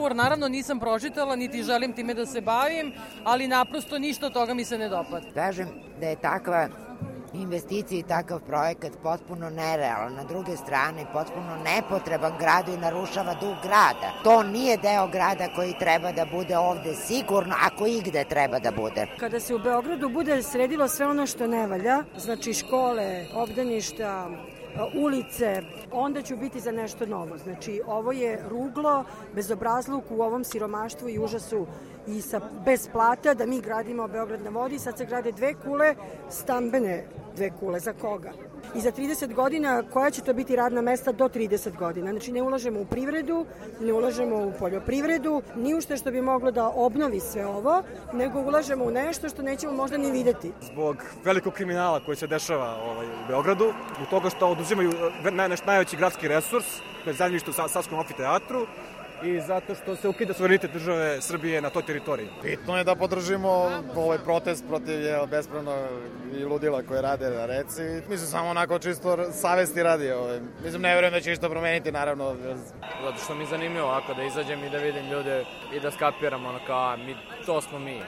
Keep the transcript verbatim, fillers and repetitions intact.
ugovor, naravno nisam pročitala, niti želim time da se bavim, ali naprosto ništa od toga mi se ne dopada. Kažem da je takva investicija i takav projekat potpuno nerealan, na druge strane potpuno nepotreban gradu i narušava duh grada. To nije deo grada koji treba da bude ovde sigurno, ako igde treba da bude. Kada se u Beogradu bude sredilo sve ono što ne valja, znači škole, obdaništa, ulice, onda ću biti za nešto novo. Znači, ovo je ruglo, bezobrazluk u ovom siromaštvu i užasu i sa, bez plata da mi gradimo Beograd na vodi. Sad se grade dve kule, stambene dve kule. Za koga? I za trideset godina koja će to biti radna mesta do trideset godina. Znači, ne ulažemo u privredu, ne ulažemo u poljoprivredu, ni u što što bi moglo da obnovi sve ovo, nego ulažemo u nešto što nećemo možda ni videti. Zbog velikog kriminala koji se dešava ovaj, u Beogradu, zbog toga što oduzimaju naj, najveći gradski resurs, to je zemljište u Savskom amfiteatru, i zato što se ukida suverenitet države Srbije na toj teritoriji. Bitno je da podržimo ovaj protest protiv je, bespravno i ludila koje rade na reci. Mislim, samo onako čisto savesti radi. Ovaj. Mislim, ne vjerujem da će išta promeniti, naravno. Zato što mi je zanimljivo ovako da izađem i da vidim ljude i da skapiram ono kao, mi, to smo mi.